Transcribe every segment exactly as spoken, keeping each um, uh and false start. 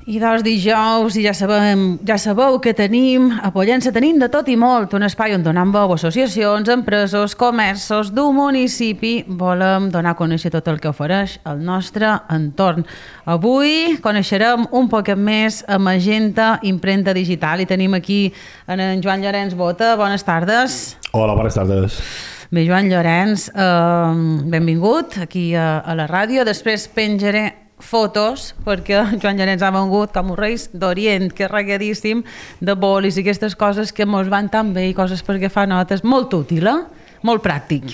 I dos dijous, i ja, sabem, ja sabeu que tenim, a Pollença tenim de tot i molt, un espai on donem veu a associacions, empreses, comerços d'un municipi. Volem donar a conèixer tot el que ofereix el nostre entorn. Avui coneixerem un poquet més a Magenta Imprenta Digital i tenim aquí en Joan Llorenç Bota. Bones tardes. Hola, bones tardes. Bé, Joan Llorenç, eh, benvingut aquí a, a la ràdio. Després penjaré fotos, perquè Joan Llorenç ha vengut com un reis d'Orient, que és regadíssim, de bolis i aquestes coses que mos van tan bé i coses perquè fa notes. Molt útil, eh? Molt pràctic.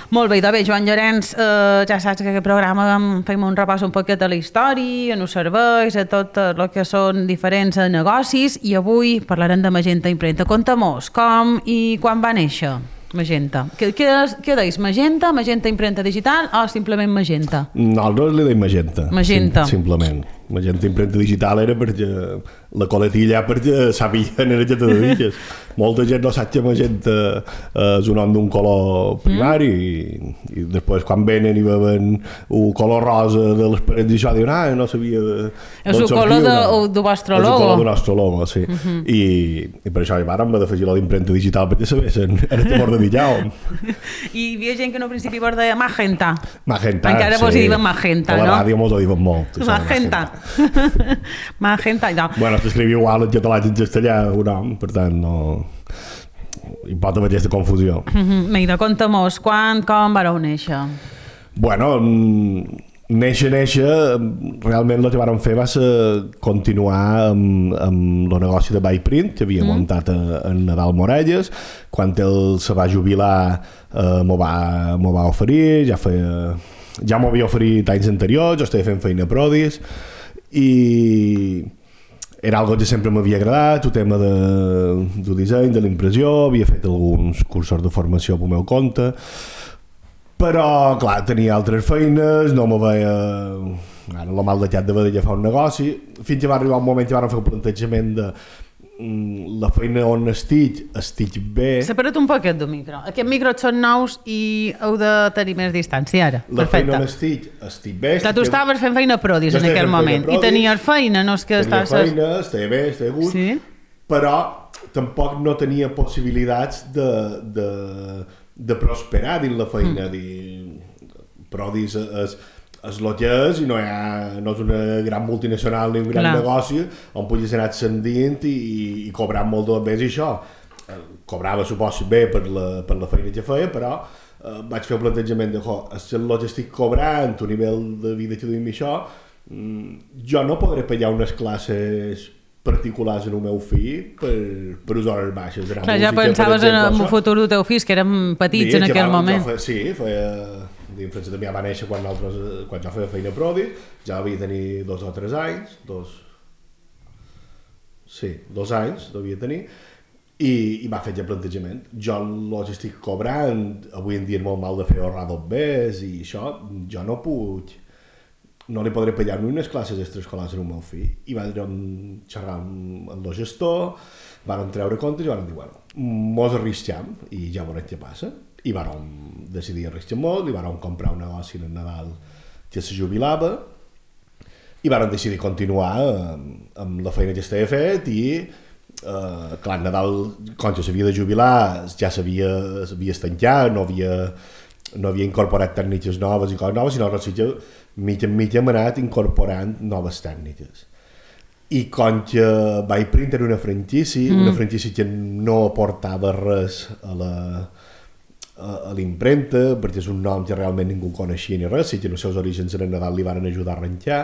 Molt bé, doncs bé, Joan Llorenç, eh, ja saps que aquest programa fem un repàs un poquet a la història, a els serveis, a tot el que són diferents negocis, i avui parlarem de Magenta Imprenta. Conta-mos com i quan va néixer Magenta. Què, què, què deis? Magenta, Magenta Imprenta Digital o simplement Magenta? Nosaltres li deim Magenta. Magenta. Sim, simplement. Magenta Imprenta Digital era perquè la coletilla perquè sabien era que te dediques. Molta gent no sap que Magenta és un nom d'un color primari mm. i, i després quan venen i veuen un color rosa de les parets i això diuen, ah, no sabia de, és el color de, del vostre logo. És el color del nostre logo, sí. Mm -hmm. I, i per això hi vàrem d'afegir la d'imprenta digital perquè sabessin, era temor de dillau. I hi havia gent que en un principi vos deia Magenta. Magenta, encara sí. Vos hi diuen Magenta, no? A la ràdio mos ho diuen molt. Magenta. Magenta, no. Bueno, s'escrivia igual en català i en castellà un nom, per tant no hi pot haver aquesta confusió. Mm-hmm. Mira, conta-mos, quan, com vareu néixer? Bueno, néixer, néixer, realment el que vàrem fer va ser continuar amb, amb el negoci de Byprint, que havia mm. muntat a, a Nadal Morelles. Quan ell se va jubilar eh, m'ho va, m'ho va oferir, ja feia... ja m'ho havia oferit anys anteriors, jo estava fent feina a Prodis, i era algo que sempre m'havia agradat, el tema de, del disseny, de l'impressió, havia fet alguns cursos de formació pel meu compte, però, clar, tenia altres feines, no me veia... Ara, el mal de xat de vedella fa un negoci, fins que va arribar un moment que vam fer el plantejament de la feina on estic, estic bé... Separa't un poquet del micro. Aquests micros són nous i heu de tenir més distància ara. La Perfecte. feina on estic, estic bé... Clar, tu estaves fent feina a Prodis en aquell moment i tenies feina, no és que tenia estàs... feina, estava bé, estava a gust, sí? Però tampoc no tenia possibilitats de, de, de prosperar dins la feina. Mm. Dir, Prodis és... és el que és i no, ha, no és una gran multinacional ni un gran Clar. negoci on puguis anar ascendint i, i cobrant molt de més i això. Cobrava, suposo, bé per la, per la feina que feia, però eh, vaig fer el plantejament de és el que estic cobrant, un nivell de vida que duim i això, jo no podré pagar unes classes particulars en el meu fill per, per les hores baixes. Clar, ja pensaves en el futur del teu fill, que érem petits sí, en aquell va, moment. Feia, sí, feia... L'infància també va néixer quan, altres, quan jo feia feina a Prodis, ja devia tenir dos o tres anys, dos... Sí, dos anys devia tenir, i, i va fer ja plantejament. Jo el que estic cobrant, avui en dia és molt mal de fer ahorrar dos bes i això, jo no puc... No li podré pagar ni unes classes extraescolars al meu fill. I va xerrar amb el gestor, van treure comptes i van dir, bueno, mos arrisquem i ja veurem què passa. I vam decidir arriscar molt, i vam comprar un negoci en Nadal que se jubilava, i vam decidir continuar amb, amb la feina que estava fet, i eh, clar, Nadal, quan ja s'havia de jubilar, ja s'havia estancat, no havia, no havia incorporat tècniques noves i coses noves, sinó que mitja en mitja hem anat incorporant noves tècniques. I com que Byprint era una franquícia, mm. una franquícia que no aportava res a la a l'imprenta, perquè és un nom que realment ningú coneixia ni res, si que els seus orígens en Nadal li van ajudar a arrencar,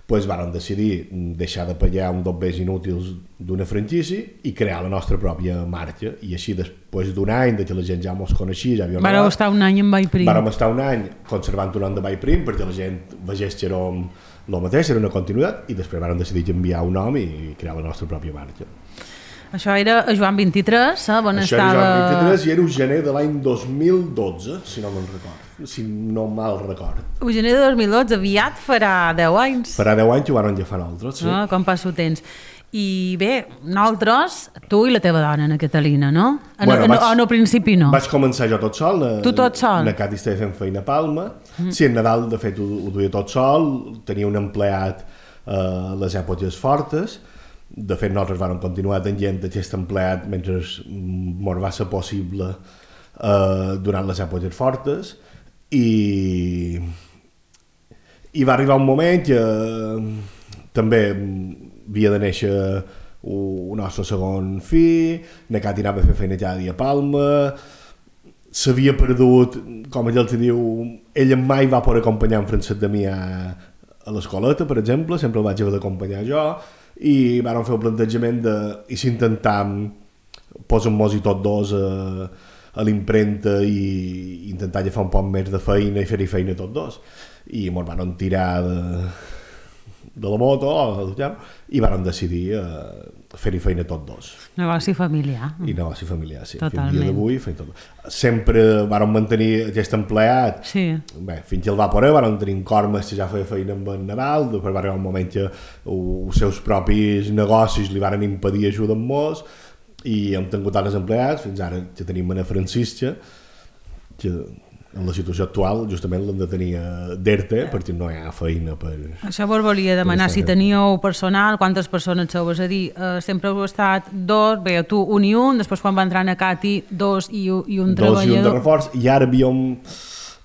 doncs van decidir deixar de pagar un dos bes inútils d'una franquícia i crear la nostra pròpia marca. I així, després d'un any de que la gent ja mos coneixia, ja havia... Vareu estar un any amb Byprint. Vàrem estar un any conservant un nom de Byprint perquè la gent vegés que era el mateix, era una continuïtat, i després vàrem decidir canviar un nom i crear la nostra pròpia marca. Això era a Joan vint-i-tres, eh, on Això estava... Això era Joan vint-i-tres i era el gener de l'any dos mil dotze, si no me'n record, si no mal record. El gener de dos mil dotze, aviat farà deu anys. Farà deu anys que ho van agafar nosaltres, sí. Ah, com passa el temps. I bé, nosaltres, tu i la teva dona, Ana Catalina, no? En, bueno, en, vaig, en el principi no. Vaig començar jo tot sol. Na, tu tot sol? Na Cati estava fent feina a Palma. Mm. Sí, en Nadal, de fet, ho, ho duia tot sol. Tenia un empleat uh, les èpoques fortes. De fet, nosaltres vam continuar tenint aquest empleat mentre mos va ser possible uh, durant les èpoques fortes i, i va arribar un moment que uh, també havia de néixer el nostre segon fill, na Cati anava a fer feina cada dia a Palma, s'havia perdut, com ell els diu, ella mai va poder acompanyar en Francesc Damià a l'escoleta, per exemple, sempre el vaig haver d'acompanyar jo, i vam fer el plantejament de, i si intentam posar-nos-hi tots dos a, a l'impremta i intentar agafar un poc més de feina i fer-hi feina tots dos. I ens van tirar de, de la moto i vam decidir uh, fer-hi feina tots dos. Negoci familiar. I negoci familiar, sí. Totalment. Fins al dia d'avui fem tot. Sempre vam mantenir aquest empleat. Sí. Bé, fins que el va poder, vam tenir en Cormes que ja feia feina amb el Nadal, després va arribar un moment que els seus propis negocis li van impedir ajudar molts i hem tingut altres empleats, fins ara que tenim Ana Francisca, que en la situació actual justament l'hem de tenir d'ERTE perquè no hi ha feina per... Això vos volia demanar, si teníeu personal, quantes persones sou? És a dir, eh, sempre heu estat dos, bé, tu un i un, després quan va entrar a Cati, dos i, i un dos treballador. Dos i un de reforç, i ara havíem,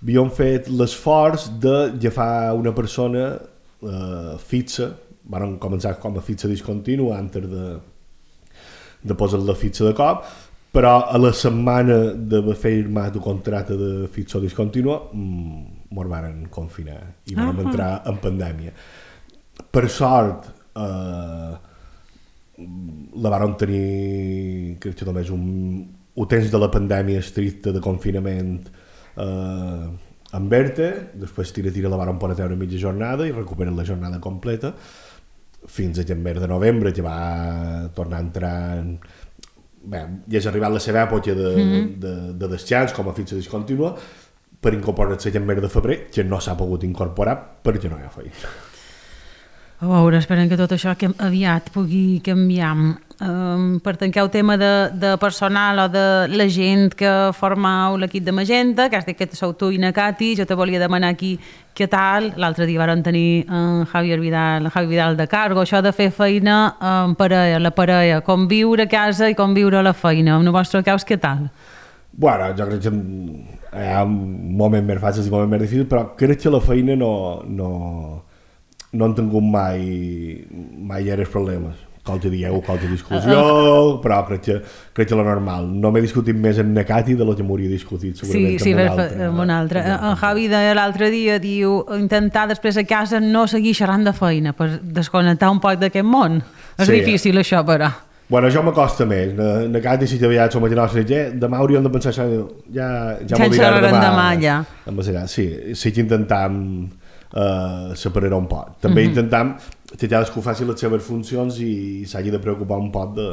havíem fet l'esforç d'agafar una persona eh, fixa, vam començar com a fitxa discontínua antes de, de posar la fitxa de cop, però a la setmana d'haver firmat el contracte de fitxa discontínua mos van confinar i vam uh -huh. entrar en pandèmia. Per sort eh, la vam tenir, crec que només un, un temps de la pandèmia estricta de confinament eh, amb ERTE, després tira-tira la vam poder treure mitja jornada i recuperen la jornada completa fins a mes de novembre que va tornar a entrar en... Bé, ja és arribat la seva època de, mm-hmm. de, de descans com a fitxa discontínua per incorporar-se en mes de febrer, que no s'ha pogut incorporar perquè no hi ha feina. A veure, esperem que tot això que aviat pugui canviar. Um, per tancar el tema de, de personal o de la gent que formeu l'equip de Magenta, que has dit que sou tu i na Cati, jo te volia demanar aquí què tal. L'altre dia vam tenir en Javier Vidal, en Javi Vidal de Cargo, això de fer feina en parella, la parella, conviure a casa i conviure a la feina. En el vostre cas, què tal? Bueno, jo crec que hi ha moments més fàcils i moments més difícils, però crec que la feina no, no, no han tingut mai, mai gaires problemes. Qualque dieu, qualque discussió, però crec que, crec que la normal. No m'he discutit més amb na Cati de lo que m'hauria discutit segurament sí, sí, amb un altre. Amb un altre. En Javi de l'altre dia diu intentar després a casa no seguir xerrant de feina per desconnectar un poc d'aquest món. És sí, difícil això, però. Bueno, això m'acosta més. Na, na Cati si t'havia som a nostra ja, demà hauríem de pensar això, ja, ja, ja m'ho dirà demà. demà ja. Sí, sí que intentam Uh, separar un poc. També mm-hmm. intentam que cadascú faci les seves funcions i s'hagi de preocupar un poc de,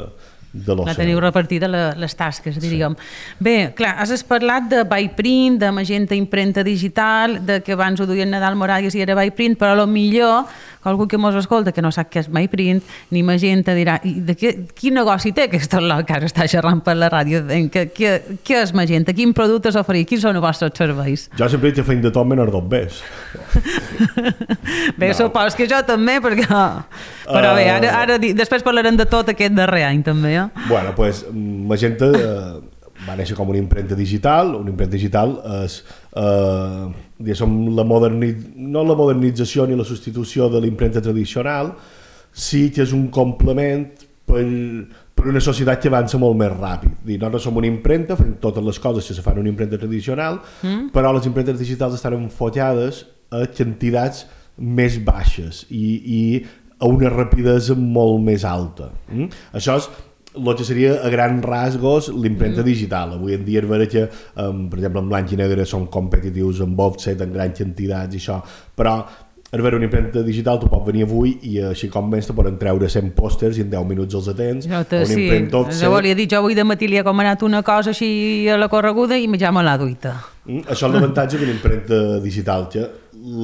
de l'oci. La teniu repartida la, les tasques, diríem. Sí. Bé, clar, has parlat de Byprint, de Magenta impremta digital, de que abans ho duien Nadal Morales i era Byprint, però a lo millor algú que mos escolta que no sap què és Byprint ni Magenta dirà, i de què, quin negoci té aquest lot que ara està xerrant per la ràdio? Què, què, què és Magenta? Quin productes oferir? Quins són els vostres serveis? Jo sempre he fet de tot menys dos Bs. Bé, no. Supos que jo també, perquè... Però bé, ara, ara després parlarem de tot aquest darrer any també, eh? Bueno, doncs Magenta eh, va néixer com una impremta digital. Una impremta digital és eh, diguéssim, la modernitz... no la modernització ni la substitució de l'impremta tradicional, sí que és un complement per, per una societat que avança molt més ràpid. Dir, nosaltres som una impremta, fem totes les coses que se fan en una impremta tradicional, mm. però les impremtes digitals estan enfocades a quantitats més baixes i, i a una rapidesa molt més alta. Mm? Això és el que seria a grans rasgos l'impremta mm. digital. Avui en dia és vera que, um, per exemple, en blanc i negre són competitius amb offset, en grans quantitats i això, però és vera, una impremta digital tu pots venir avui i així com menys te poden treure cent pòsters i en deu minuts els atens. Jo te, sí, jo volia dir, jo avui de matí li he comanat una cosa així a la correguda i ja me l'ha duita. Mm, això és l'avantatge d'una impremta digital, que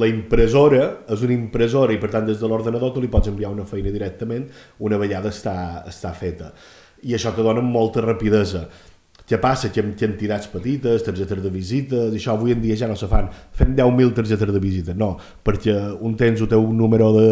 la impressora és una impressora i per tant des de l'ordenador tu li pots enviar una feina directament una vegada està, està feta i això te dona molta rapidesa. què passa? Que amb entitats petites, targetes de visites, això avui en dia ja no se fan. Fem deu mil targetes de visites, no, perquè un tens el teu número de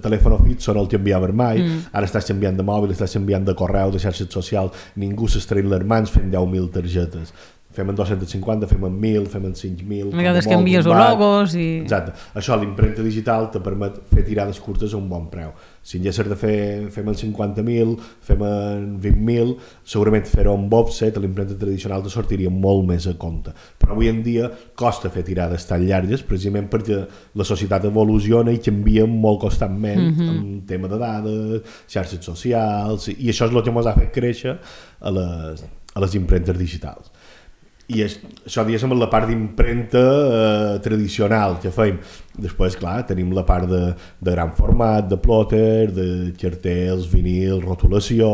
telèfon fix, no el t'enviaves mai, mm. ara estàs canviant de mòbil, estàs canviant de correu, de xarxes socials, ningú s'estreïn les mans fent deu mil targetes. Fem en dos-cents cinquanta, fem en mil, fem en cinc mil... A vegades canvies logos i... Exacte. Això, l'impremta digital te permet fer tirades curtes a un bon preu. Si en haguessis de fer, fem en cinquanta mil, fem en vint mil, segurament fer-ho amb offset, l'impremta tradicional te sortiria molt més a compte. Però avui en dia costa fer tirades tan llargues, precisament perquè la societat evoluciona i canvia molt constantment mm-hmm. en tema de dades, xarxes socials, i això és el que ens ha fet créixer a les, a les impremtes digitals. I és, això diguéssim la part d'impremta eh, tradicional que feim. Després, clar, tenim la part de, de gran format, de plotter, de cartells, vinil, rotulació,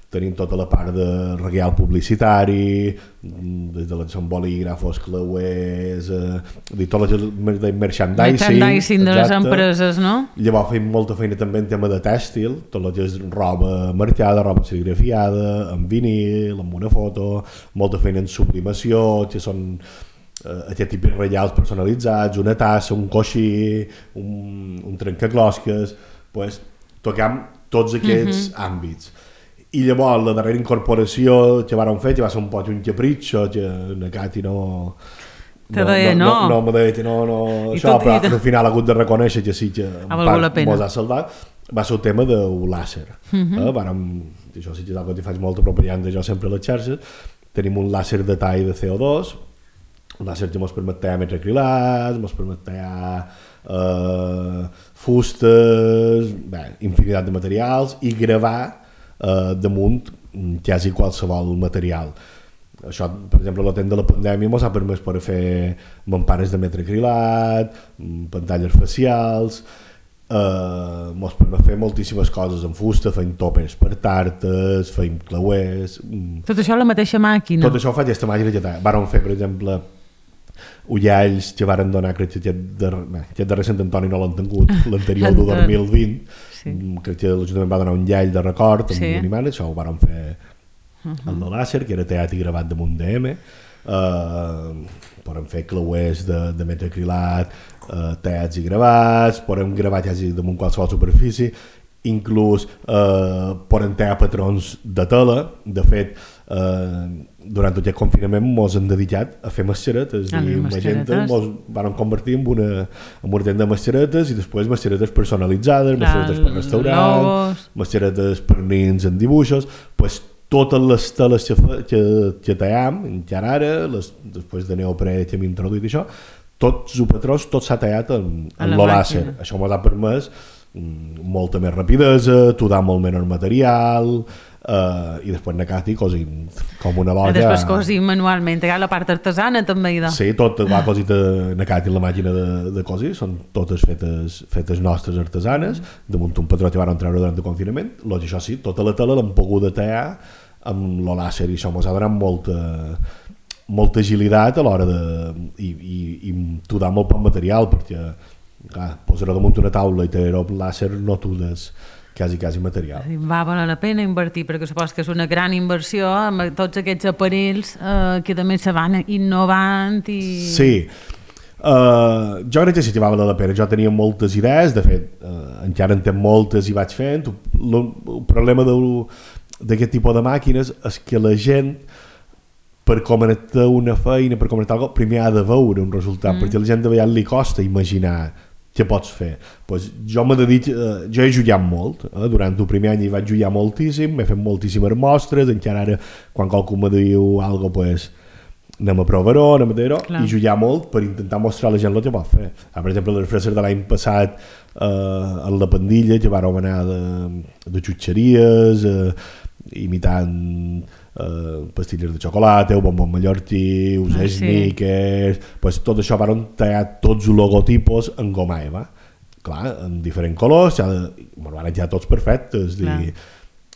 tenim tota la part de regal publicitari, des de els bolígrafos, clauers, eh, de tot el merchandising. Merchandising de les empreses, no? Llavors feim molta feina també en tema de tèxtil, tot el que és roba marcada, roba serigrafiada, en vinil, amb una foto, molta feina en sublimació, que són eh, aquest tipus de regals personalitzats, una tassa, un coixí, un, un trencaclosques, pues, tocam tots aquests mm-hmm. àmbits. I llavors la darrera incorporació que vàrem fer, que va ser un poc un capritxo, que na Cati no... Te deia no. No, no, no me deia que no, no, això, però al final ha hagut de reconèixer que sí que en part mos ha salvat, va ser el tema del làser. Uh-huh. Eh? Vàrem, això sí que és que faig molta propaganda jo sempre a les xarxes, tenim un làser de tall de C O dos, un làser que ens permet tallar metracrilats, ens permet tallar eh, fustes, bé, infinitat de materials, i gravar Uh, damunt quasi qualsevol material. Això, per exemple, la temps de la pandèmia ens ha permès per fer mampares de metracrilat, pantalles facials, uh, ens permet fer moltíssimes coses en fusta, feim topes per tartes, feim clauers... Tot això a la mateixa màquina? Tot això ho fa aquesta màquina que té. Vàrem fer, per exemple, ullalls que varen donar, crec que aquest darrer, aquest darrer Sant Antoni no l'han tingut, l'anterior del dos mil vint, sí. Crec que l'Ajuntament va donar un llall de record amb sí. un imant, això ho varen fer uh-huh. amb el làser, que era tallat i gravat damunt d'E M, uh, podem fer clauers de, de metacrilat, uh, tallats i gravats, podem gravar quasi damunt qualsevol superfície, inclús eh, podem tallar patrons de tela. De fet, eh, durant tot aquest confinament ens hem dedicat a fer mascaretes i magenta ens van convertir en una, en una tenda de mascaretes i després mascaretes personalitzades, mascaretes per restaurant, mascaretes per nins en dibuixos, pues, totes les teles que, que, que tallam, encara ara, les, després de neoprè que hem introduït això, tots els patrons, tot s'ha tallat en, en el làser. Això ens ha permès molta més rapidesa, tudar molt menys material, uh, i després na Cati cosint com una loja. I després cosint manualment, hi ha la part artesana també. De... Sí, tot va cosit na Cati la màquina de, de cosir, són totes fetes, fetes nostres artesanes, damunt un patró que van treure durant el confinament, doncs això sí, tota la tela l'hem pogut tallar amb el làser i això ens ha donat molta, molta agilitat a l'hora de... i, i, i tudar molt poc material, perquè clar, posar-ho damunt una taula i tenir-ho amb làser no tudes quasi, quasi material. Va valer la pena invertir, perquè supos que és una gran inversió amb tots aquests aparells eh, que també se van innovant i... Sí, uh, jo crec que sí que va valer la pena. Jo tenia moltes idees, de fet, uh, encara en tenc moltes i vaig fent. El, el problema d'aquest tipus de màquines és que la gent, per comentar una feina, per comentar alguna cosa, primer ha de veure un resultat, mm. perquè a la gent de vegades li costa imaginar què pots fer. Pues jo m'he dit, eh, jo he jugat molt, eh? Durant el primer any hi vaig jugar moltíssim, m'he fet moltíssimes mostres, encara ara quan qualcú me diu alguna cosa, pues, anem a provar-ho, anem a dir-ho, i jugar molt per intentar mostrar a la gent el que pot fer. Ah, per exemple, les freses de l'any passat eh, en la pandilla, que vàrem anar de, de xutxeries, eh, imitant Uh, pastilles de xocolata, bombons mallorquí, us ah, sneakers, sí. Pues tot això van tallar tots els logotipos en goma eva, clar, en diferents colors, ja de, bueno, van tallar tots perfectes, i,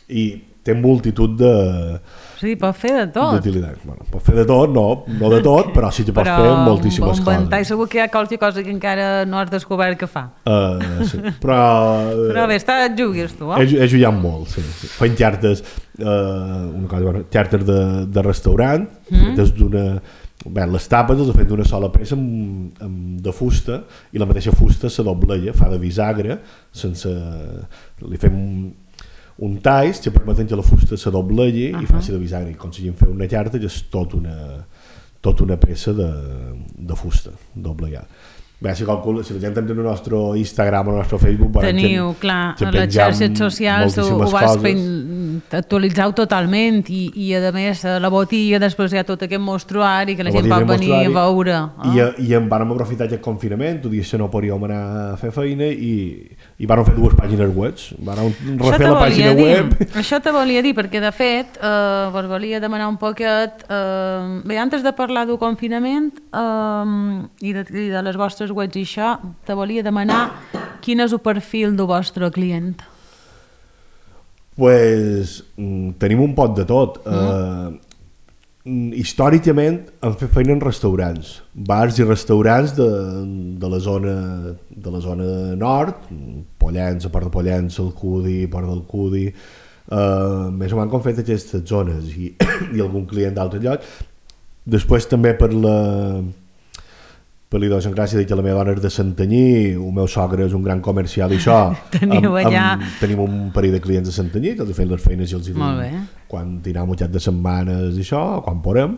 i té multitud de... Sí, pot fer de tot. D'utilitats. Bueno, pot fer de tot, no, no de tot, però sí que pot però fer moltíssimes un coses. ventall segur que hi ha qualque cosa que encara no has descobert que fa. Uh, sí. Però... Però bé, està, jugues tu, eh? He, he jugat molt, sí. sí. Fent xartes, uh, una cosa, bueno, xartes de, de restaurant, mm. fetes d'una... Bé, les tapes les ha fet d'una sola peça amb, amb, de fusta i la mateixa fusta se dobleia, fa de bisagre, sense... Li fem un, un talls que permeten que la fusta se doblegui uh -huh. i faci de bisagre. I aconseguim fer una xarta que és tot una, tot una peça de, de fusta doblegada. Bé, si, calcula, si la gent entra en el nostre Instagram o el nostre Facebook... Teniu, clar, a les xarxes socials ho, ho vas actualitzar totalment i, i a més a la botiga després hi ha tot aquest mostruari que la, la gent pot venir a veure. Oh. I, i en vam aprofitar aquest confinament, tu dius que no podíem anar a fer feina i, i vam fer dues pàgines web. Vam refer la pàgina dir, web. Això te volia dir, perquè de fet eh, vos volia demanar un poquet... Eh, bé, antes de parlar del confinament eh, i, de, i de les vostres webs i això, te volia demanar quin és el perfil del vostre client. Pues tenim un pot de tot. Mm. Uh, històricament hem fet feina en restaurants, bars i restaurants de, de la zona de la zona nord, Pollença, Port de Pollença, Alcudi, Port d'Alcudi, uh, més o menys com fet aquestes zones i, i algun client d'altres llocs. Després també per la per l'idiosincràsia de que la meva dona és de Santanyí, el meu sogre és un gran comercial i això. Teniu amb, allà... amb, tenim un parell de clients de Santanyí que els fem les feines i els diuen quan tindrà un de setmanes i això, quan podem.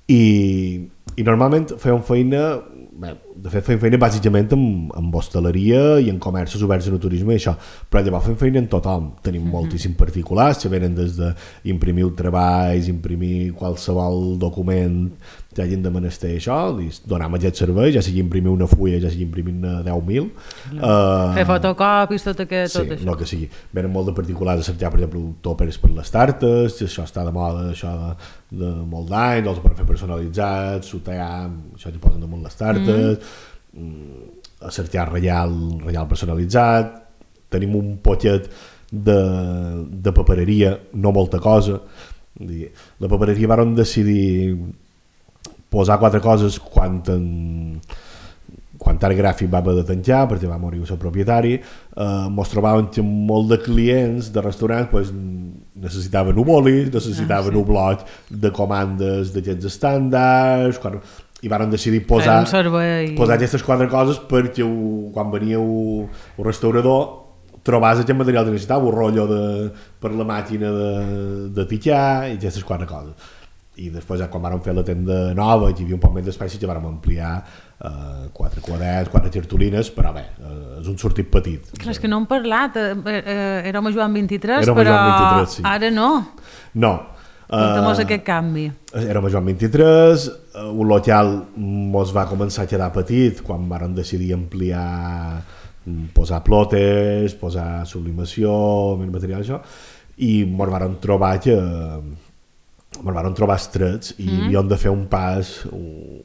I, i normalment fem feina, bé, de fet fem feina bàsicament amb, amb hostaleria i en comerços oberts en el turisme i això, però llavors fem feina en tothom. Tenim mm-hmm. moltíssims particulars que venen des d'imprimir treballs, imprimir qualsevol document que hagin de menester això, donar-me aquest servei, ja sigui imprimir una fulla, ja sigui imprimir-ne deu mil. Uh, Fer fotocopis, tot, aquest, sí, tot això. Sí, no que sigui. Venen molt de particulars a cercar, per exemple, tòpers per les tartes, això està de moda, això de, de molt d'anys, els per fer personalitzats, sotear, això que posen damunt les tartes, mm. a cercar reial, reial personalitzat, tenim un poquet de, de papereria, no molta cosa. La papereria vàrem decidir posar quatre coses quan en, quan Art Gràfic va haver de tancar perquè va morir el seu propietari. Eh, mos trobàvem que molt de clients de restaurants pues, necessitaven un boli, necessitaven ah, sí. un bloc de comandes d'aquests estàndards, quan, i vàrem decidir posar, posar aquestes quatre coses perquè ho, quan venia el, el restaurador trobàs aquest material que necessitava, un rotllo de, per la màquina de, de titxar i aquestes quatre coses. I després, quan vam fer la tenda nova, hi havia un poc més d'espai, ja vam ampliar eh, quatre quaderns, quatre cartolines, però bé, eh, és un sortit petit. Clar, és que no hem parlat, eh, eh, érem a Joan vint-i-tres, érem però Joan vint-i-tres, sí. Ara no. No. Conta'm-nos uh, aquest canvi. Érem a Joan vint-i-tres, uh, un local mos va començar a quedar petit quan vam decidir ampliar, posar plotes, posar sublimació, més material, això, i mos vam trobar que ens vam trobar estrets i mm. havíem de fer un pas un,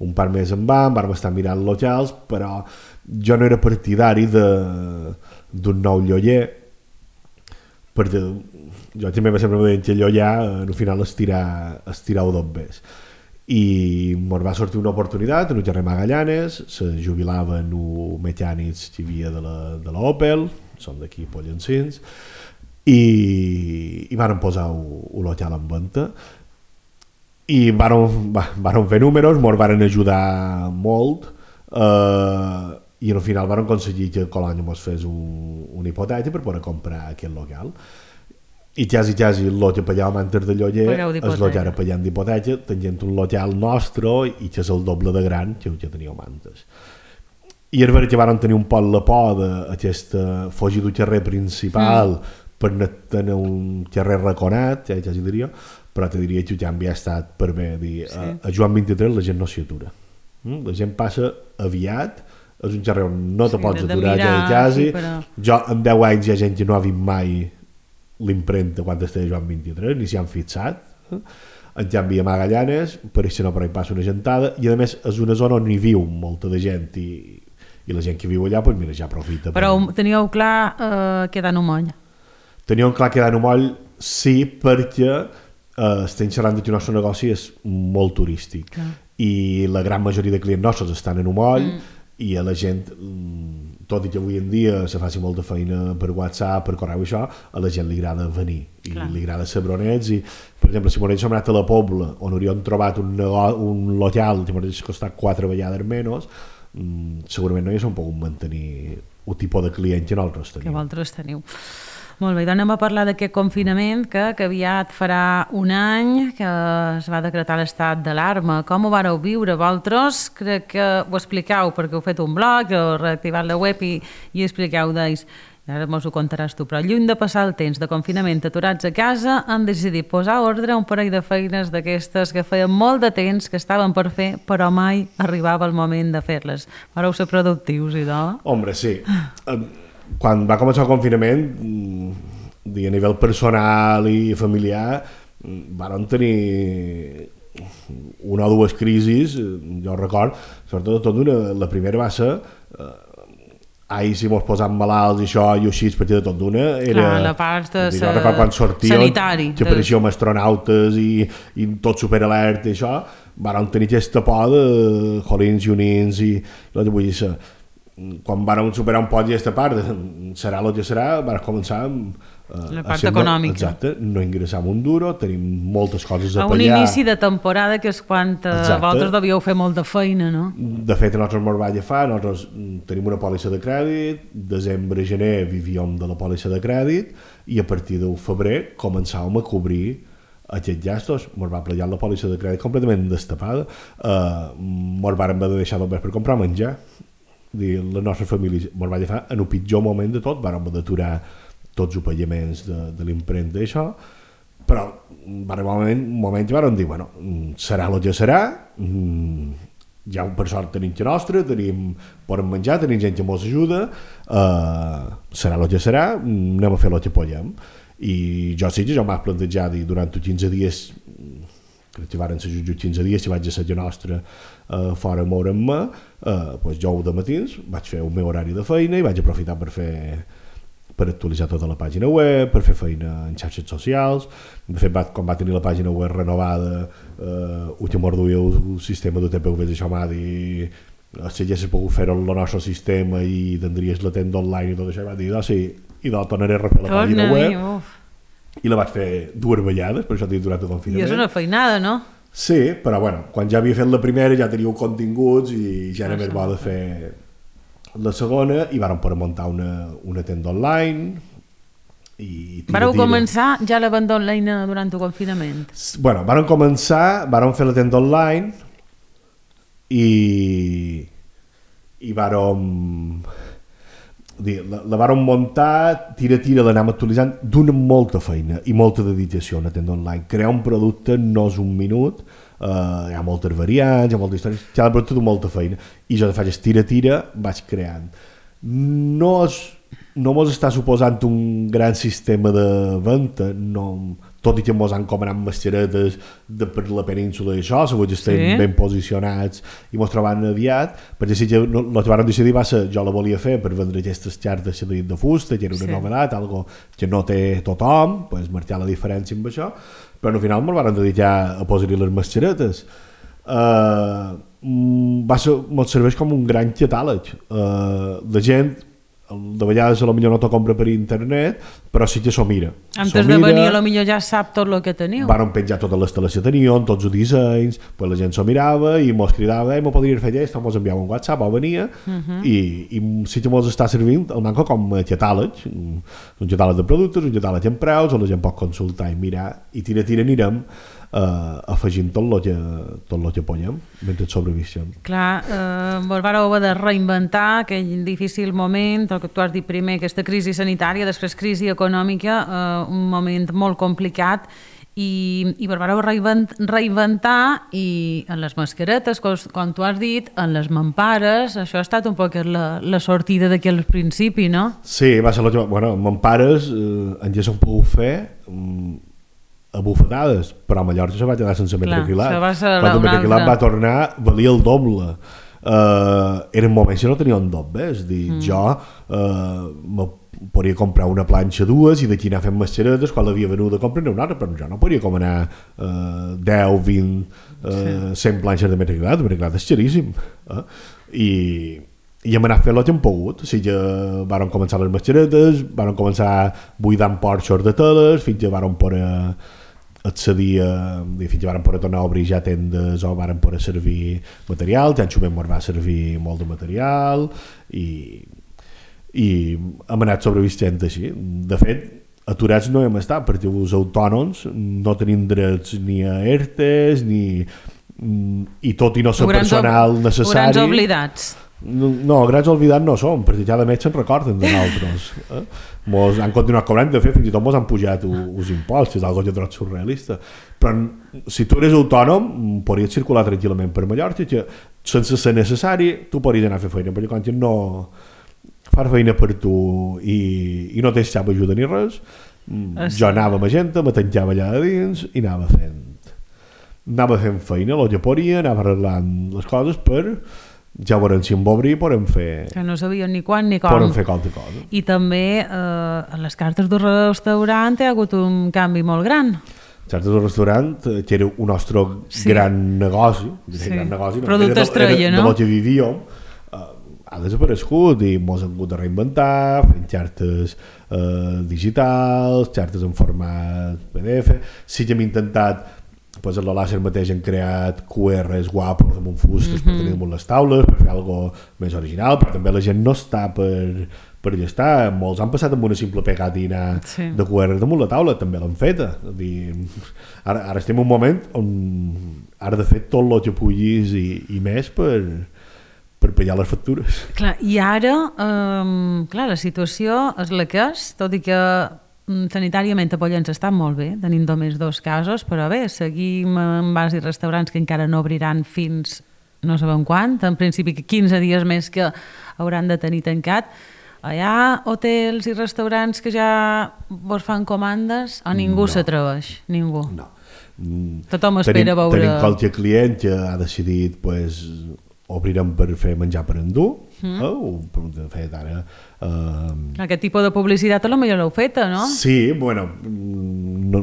un pas més en van, vam estar mirant locals, però jo no era partidari d'un nou lloller, perquè jo també va sempre dir que llollar al final estirar, estirar dos bes. I ens va sortir una oportunitat en un carrer Magallanes, se jubilaven els mecànics que hi havia de la, de la Opel, són d'aquí Pollencins, i, i varen posar el local en venda i varen, varen fer números, ens varen ajudar molt eh, i al final varen aconseguir que Colònia ens fes un, una hipoteca per poder comprar aquest local i quasi quasi el que pagàvem antes de lloguer és el que ara pagem d'hipoteca, tenint un local nostre i que és el doble de gran que el que teníem antes. I és veritat que varen tenir un poc la por d'aquesta fugir del carrer principal mm. per tenir un carrer raconat, ja, ja diria, però te diria que el canvi ha estat per bé. Dir, sí. a, a Joan vint-i-tres la gent no s'hi atura. Mm? La gent passa aviat, és un carrer on no te sí, pots aturar ja quasi. Sí, però... Jo en deu anys hi ha gent que no ha vist mai l'impremta quan estava a Joan vint-i-tres, ni s'hi han fixat. Eh? En canvi a Magallanes, per això no per ahí passa una gentada, i a més és una zona on hi viu molta de gent i, i la gent que viu allà, pues mira, ja aprofita. Però per... teníeu clar eh, quedar en un moll. Teníem clar quedar en un moll sí, perquè eh, estem xerrant que el nostre negoci és molt turístic. Clar. I la gran majoria de clients nostres estan en un moll mm. i a la gent, tot i que avui en dia se faci molta feina per WhatsApp, per correu i això, a la gent li agrada venir i Clar. Li agrada ser bronets i, per exemple, si m'hagués anat a la Pobla on hauríem trobat un, un local que m'hagués costat quatre vegades menys, mm, segurament no haguéssim pogut mantenir un tipus de client que nosaltres tenim. Que vosaltres teniu. Molt bé, doncs anem a parlar d'aquest confinament que, que aviat farà un any que es va decretar l'estat d'alarma. Com ho vareu viure? Vosaltres crec que ho expliqueu perquè heu fet un blog, heu reactivat la web i, i expliqueu d'ells. Ara mos ho contaràs tu, però lluny de passar el temps de confinament aturats a casa, han decidit posar ordre a un parell de feines d'aquestes que feien molt de temps que estaven per fer, però mai arribava el moment de fer-les. Vareu ser productius, i de... Hombre, sí. Quan va començar el confinament, a nivell personal i familiar, vam tenir una o dues crisis, jo record, sobretot tot una, la primera va ser eh, ai, si mos posam malalts i això i així, perquè de tot d'una era... Clar, la part de jo record quan sortia, sanitari. Que apareixíem astronautes i, i tot superalert i això, vam tenir aquesta por de jolins i unins i el que vull dir, quan vàrem superar un poc aquesta part, serà el que serà, vam començar amb uh, la part econòmica. Exacte, no ingressam un duro, tenim moltes coses a, a pallar. un inici de temporada que és quan uh, vosaltres devíeu fer molta feina, no? De fet, a nosaltres ens va agafar, nosaltres tenim una pòlissa de crèdit, desembre, gener vivíem de la pòlissa de crèdit i a partir del febrer començàvem a cobrir aquests gastos. Ens va plegar la pòlissa de crèdit completament destapada, uh, ens vàrem haver de deixar només per comprar menjar. Dir, la nostra família ens va agafar en el pitjor moment de tot, vam d'aturar tots els pagaments de, de l'impremta i això, però va arribar un moment, un moment que vam dir, bueno, serà el que serà, ja per sort tenim que nostra, tenim podem menjar, tenim gent que ens ajuda, uh, serà el que serà, anem a fer el que podem. I jo sí que jo m'he plantejat dir, durant els quinze dies, crec que van ser just quinze dies, si vaig a ser nostra uh, fora a moure'm-me, uh, pues jo de matins vaig fer el meu horari de feina i vaig aprofitar per fer per actualitzar tota la pàgina web, per fer feina en xarxes socials. De fet, va, quan va tenir la pàgina web renovada, uh, ho que m'orduïa el sistema de T P V, això m'ha dit si haguessis pogut fer el nostre sistema i tindries la tenda online i tot això, i va dir, oh, sí, i doncs tornaré a refer la pàgina web. Uf. I la vaig fer dues vegades, per això dic durant el confinament. I és una feinada, no? Sí, però bueno, quan ja havia fet la primera ja teníeu continguts i ja era més bo de fer la segona i vàrem poder muntar una, una tenda online i tira, Vareu tira. començar ja la venda online durant el confinament? Bueno, vàrem començar, vàrem fer la tenda online i i vàrem la, la vàrem muntar, tira-tira, l'anàvem actualitzant d'una molta feina i molta dedicació a una tenda online. Crear un producte no és un minut, uh, hi ha moltes variants, hi ha moltes històries, cada producte té molta feina i jo de faig tira-tira vaig creant. No és, no mos està suposant un gran sistema de venda, no, tot i que mos han comanat mascaretes de per la península i això, segur que estem sí. ben posicionats i mos trobaran aviat, perquè si que no, el que vam decidir va ser, jo la volia fer per vendre aquestes xartes de fusta, que era una sí. novetat, algo que no té tothom, pues marcar la diferència amb això, però al final ens vam dedicar a posar-hi les mascaretes. Uh, va ser, ens serveix com un gran catàleg. Uh, la gent de vegades potser no t'ho compra per internet, però sí que s'ho mira. Antes de venir potser ja sap tot el que teniu. Van penjar totes les teles que teníem, tots els dissenys, pues la gent s'ho mirava i mos cridava, eh, m'ho podria fer aquest, o mos enviava un WhatsApp, o venia, uh-huh. i, i sí que mos està servint el manco com a catàleg, un catàleg de productes, un catàleg en preus, on la gent pot consultar i mirar, i tira-tira anirem Uh, afegint tot el que, tot el que podem mentre sobrevissim. Clar, eh, vos vareu haver de reinventar aquell difícil moment, el que tu has dit primer, aquesta crisi sanitària, després crisi econòmica, eh, un moment molt complicat i, i vos vareu reinventar i en les mascaretes, com, com tu has dit, en les mampares, això ha estat un poc la, la sortida d'aquí al principi, no? Sí, va ser el que... Bueno, mampares eh, en ja s'ho pogut fer a bufetades, però a Mallorca se va quedar sense metre quilat. Quan el metre quilat va tornar, valia el doble. eh, eren moments que no tenia on dot bé, és a dir, mm. jo eh, me podria comprar una planxa dues i d'aquí anar fent mascaretes, quan l'havia venut a comprar una altra, però jo no podria com anar eh, deu, vint, eh, cent planxes de metre quadrat, metre quadrat és xeríssim, eh? I, i hem anat fent el que hem pogut, o sigui, varen començar les mascaretes, varen començar buidant porxos de teles, fins que varen poder accedir a, fins que varen poder tornar a obrir ja tendes o varen poder servir material, ja en Xumet ens va servir molt de material i i hem anat sobrevivint així. De fet, aturats no hem estat perquè els autònoms no tenim drets ni a ERTEs ni i tot i no ser personal necessari. Grans oblidats. No, no, grans oblidats no som, perquè cada mes se'n recorden de nosaltres. Eh? Mos han continuat cobrant, de fet, fins i tot mos han pujat els impostos, és algo que trobo surrealista. Però si tu eres autònom, podries circular tranquil·lament per Mallorca, que sense ser necessari, tu podries anar a fer feina, perquè quan no far feina per tu i, i no tens cap ajuda ni res, jo anava a Magenta, me tancava allà a dins i anava fent anava fent feina, el que podia, anava arreglant les coses per ja veurem si em va obrir podem fer que no sabien ni quan ni com podem fer qualque cosa. I també eh, a les cartes del restaurant hi ha hagut un canvi molt gran. Cartes del restaurant, que era un nostre sí. gran negoci, sí. gran negoci no? Producte estrella, no? De lo que vivíem ha desaparegut i ens hem hagut de reinventar fent xartes eh, digitals, xartes en format P D F. Sí que hem intentat, pues, a la Làser mateix hem creat Q Rs guapos amb un fustes mm-hmm. per tenir damunt les taules, per fer alguna més original, però també la gent no està per, per allà està. Molts han passat amb una simple pegatina sí. de Q R damunt la taula, també l'han feta. Dir, ara, ara estem en un moment on ara de fet tot el que puguis i, i més per per pagar les factures. Clar, i ara, eh, clar, la situació és la que és, tot i que sanitàriament a Pollens està molt bé, tenim només dos casos, però bé, seguim en bars i restaurants que encara no obriran fins no sabem quan, en principi quinze dies més que hauran de tenir tancat. Hi ha hotels i restaurants que ja vos fan comandes o ningú no. s'atreveix? Ningú? No. Tothom espera tenim, veure... Tenim qualque client que ha decidit pues, obrirem per fer menjar per endur, mm. eh? o, de fet ara... Eh... Aquest tipus de publicitat a lo millor l'heu feta, no? Sí, bueno, no,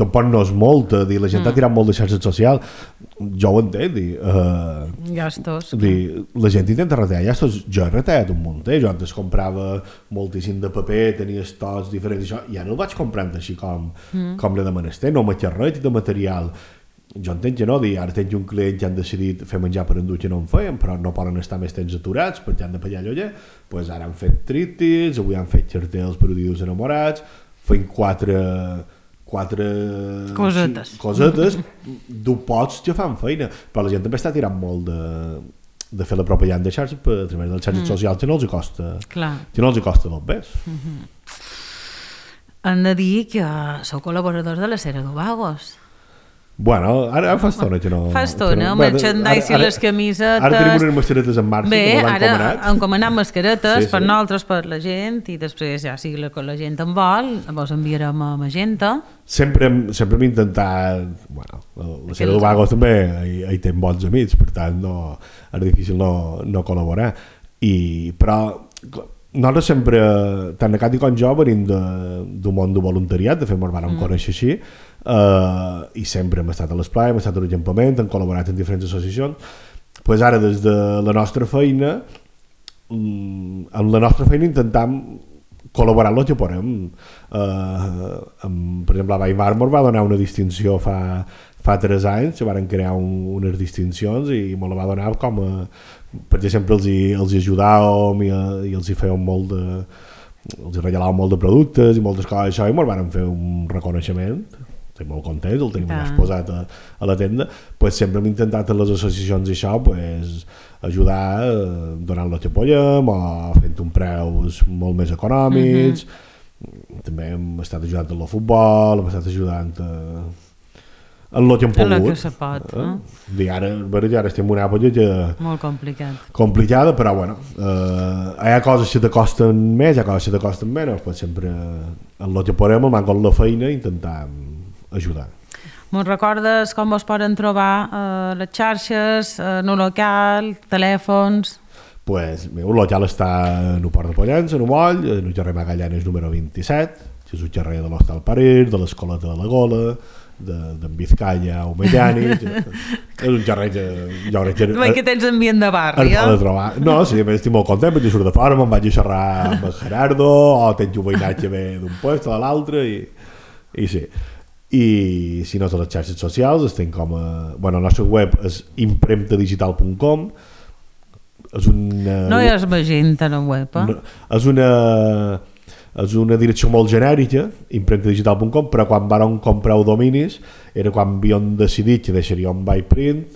tampoc no és molt, dir, la gent mm. ha tirat molt de xarxes socials, jo ho entenc, dir, eh, gastos. Dir, la gent intenta retallar gastos, jo he retallat un munt, eh? Jo antes comprava moltíssim de paper, tenia estocs diferents, això, i ara el vaig comprant així com, mm. com l'he de menester, no m'he res de material. Jo entenc que no, dir, ara tens un client que han decidit fer menjar per endur que no en feien, però no poden estar més temps aturats perquè han de pagar lloguer, doncs ara han fet tríptics, avui han fet cartells per dius enamorats, fent quatre, quatre cosetes, cosetes d'un pots que fan feina, però la gent també està tirant molt de, de fer la propaganda de xarxes per a través dels xarxes mm. socials que no els costa, que no els costa del pes. Mm-hmm. Han de dir que sou col·laboradors de la Cera d'Ovagos. Bueno, ara fa estona que no... Fa estona, el merchandise i les camisetes... Ara tenim unes mascaretes en marxa, bé, que l'han encomanat. Bé, ara han encomanat mascaretes sí, sí. per nosaltres, per la gent, i després ja si la, la gent en vol, vos enviarem a Magenta. Sempre hem, sempre hem intentat... Bueno, la Cera d'Ovagos també hi, hi té bons amics, per tant no, és difícil no, no col·laborar. I, però nosaltres sempre, tant a Cati com jo, venim d'un món de voluntariat, de fet ens vam mm. conèixer així, Uh, i sempre hem estat a l'esplai, hem estat a l'encampament, hem col·laborat en diferents associacions. Pues ara des de la nostra feina um, amb la nostra feina intentam col·laborar el que podem. Uh, amb, per exemple, a Baimar ens va donar una distinció fa, fa tres anys, que van crear un, unes distincions i me la va donar com a, perquè sempre els hi, els hi ajudàvem i, i els hi fèiem molt de els hi regalàvem molt de productes i moltes coses això, i ens van fer un reconeixement. Estic molt content, el tenim ja exposat a, a la tenda, pues sempre hem intentat a les associacions i això pues, ajudar eh, donant el que podem o fent un preus molt més econòmics. Mm-hmm. També hem estat ajudant en el futbol, hem estat ajudant a, en el que hem pogut. En el que se pot, eh? no? Ara, ara estem en una època que... Molt complicat. Complicada, però bueno, eh, hi ha coses que te costen més, hi ha coses que te costen menys, pues sempre en el que podem, amb la feina, intentar ajudar. Me'n recordes com vos poden trobar uh, les xarxes, uh, no local, telèfons? Pues, el meu local està en el Port de Pollença, en el Moll, en el carrer Magallanes número vint-i-set, que és el carrer de l'Hostal Parir, de l'Escoleta de la Gola, d'en de, Vizcaya o Mediani. És un carrer que jo crec que... Veig que tens ambient de barri, eh? De trobar. No, sí, estic molt content perquè surt de fora, me'n vaig a xerrar amb el Gerardo, o tens un veïnatge bé d'un puesto a l'altre, i, i sí. I si no, a les xarxes socials estem com a... Bueno, el nostre web és impremta digital punt com. És una... No hi és magenta en el web, eh? No, és una... és una direcció molt genèrica, impremta digital punt com, però quan vàrem comprar dominis era quan havíem decidit que deixaríem byprint,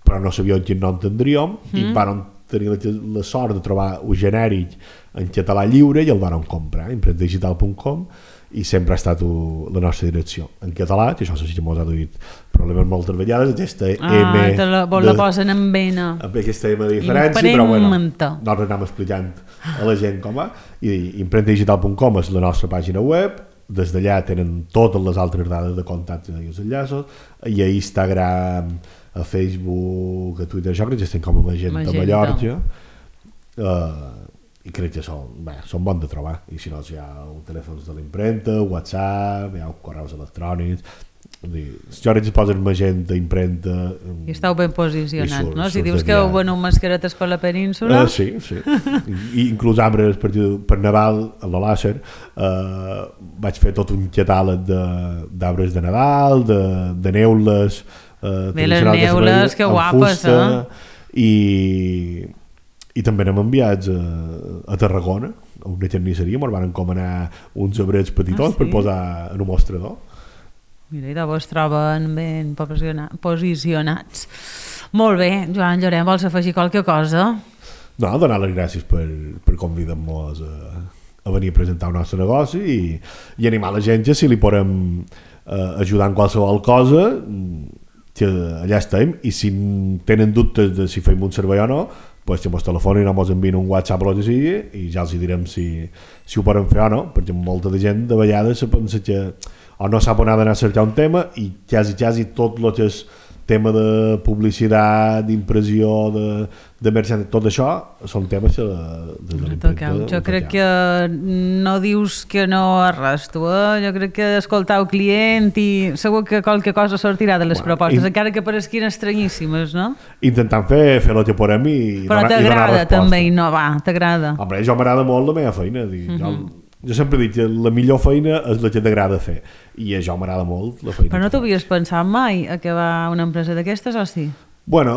però no sabíem quin nom tindríem, mm. i vàrem tenir la, la sort de trobar un genèric en català lliure i el vàrem comprar, impremta digital punt com, i sempre ha estat u, la nostra direcció en català, que això sí que mos ha duit problemes moltes vegades, aquesta ah, M te la, vos de, la posen en vena amb aquesta M de diferència, però bueno, nosaltres anem explicant a la gent com va, i impremta digital punt com és la nostra pàgina web, des d'allà tenen totes les altres dades de contacte i els enllaços, i a Instagram, a Facebook, a Twitter, això crec que estem com a Magenta, Magenta. Mallorca, uh, i crec que són, bé, són bons de trobar, i si no, si hi ha telèfons de l'impremta, WhatsApp, hi ha correus electrònics, jo crec que es posen Magenta, impremta... I estàu ben posicionats, no? Si dius que heu venut mascaretes per la península... Uh, sí, sí. I, inclús arbres per, per Nadal, a la Làser, uh, vaig fer tot un catàleg d'arbres de, de Nadal, de, de neules... Uh, Bé, les neules, que guapes, fusta, eh? I... I també anem enviats a, a Tarragona, a una carnisseria, ens van encomanar uns abrets petitons ah, sí? per posar en un mostrador. Mira, i de vos troben ben posicionats. Molt bé, Joan Llorenç, vols afegir qualque cosa? No, donar les gràcies per, per convidar-nos a, a venir a presentar el nostre negoci i, i animar la gent que si li podem eh, ajudar en qualsevol cosa, que allà estem, i si tenen dubtes de si fem un servei o no, pues que mos telefonin o mos envien un WhatsApp o el que sigui i ja els direm si, si ho podem fer o no, perquè molta de gent de vegades se pensa que o no sap on ha d'anar a cercar un tema i quasi, quasi tot el que és tema de publicitat, d'impressió, de, de merchandising, tot això són temes que de, de l'impremta. Jo crec que no dius que no a res, tu, eh? Jo crec que escoltar el client i segur que qualque cosa sortirà de les bueno, propostes, in... encara que paresquin estranyíssimes, no? Intentant fer, fer el que podem i, però i donar, t'agrada també innovar, t'agrada? Home, jo m'agrada molt la meva feina, dir, uh -huh. jo... Jo sempre dic que la millor feina és la que t'agrada fer i a jo m'agrada molt la feina. Però no t'havies pensat mai a acabar una empresa d'aquestes o sí? Bueno,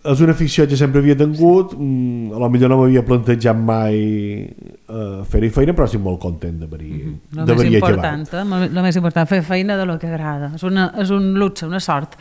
és una afició que sempre havia tingut, a lo millor no m'havia plantejat mai uh, fer-hi feina, però estic molt content d'haver-hi uh -huh. acabat. Important, eh? El més important, fer feina de lo que agrada. És, una, és un luxe, una sort.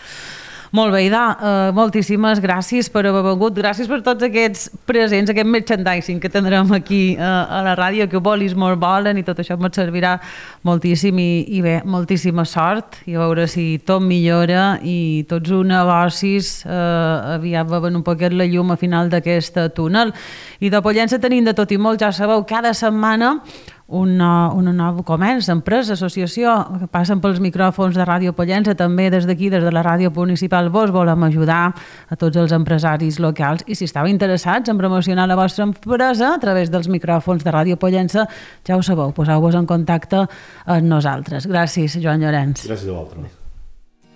Molt bé, Ida, uh, moltíssimes gràcies per haver vengut, gràcies per tots aquests presents, aquest merchandising que tindrem aquí uh, a la ràdio, que volis molt volen i tot això ens servirà moltíssim i, i bé, moltíssima sort i a veure si tot millora i tots els negocis uh, aviat veuen un poquet la llum a final d'aquest túnel. I de Pollença tenim de tot i molt, ja sabeu, cada setmana un, un nou comerç, empresa, associació, que passen pels micròfons de Ràdio Pollença, també des d'aquí, des de la ràdio municipal, vos volem ajudar a tots els empresaris locals i si estàu interessats en promocionar la vostra empresa a través dels micròfons de Ràdio Pollença, ja ho sabeu, poseu-vos en contacte amb nosaltres. Gràcies, Joan Llorenç. Gràcies a vosaltres.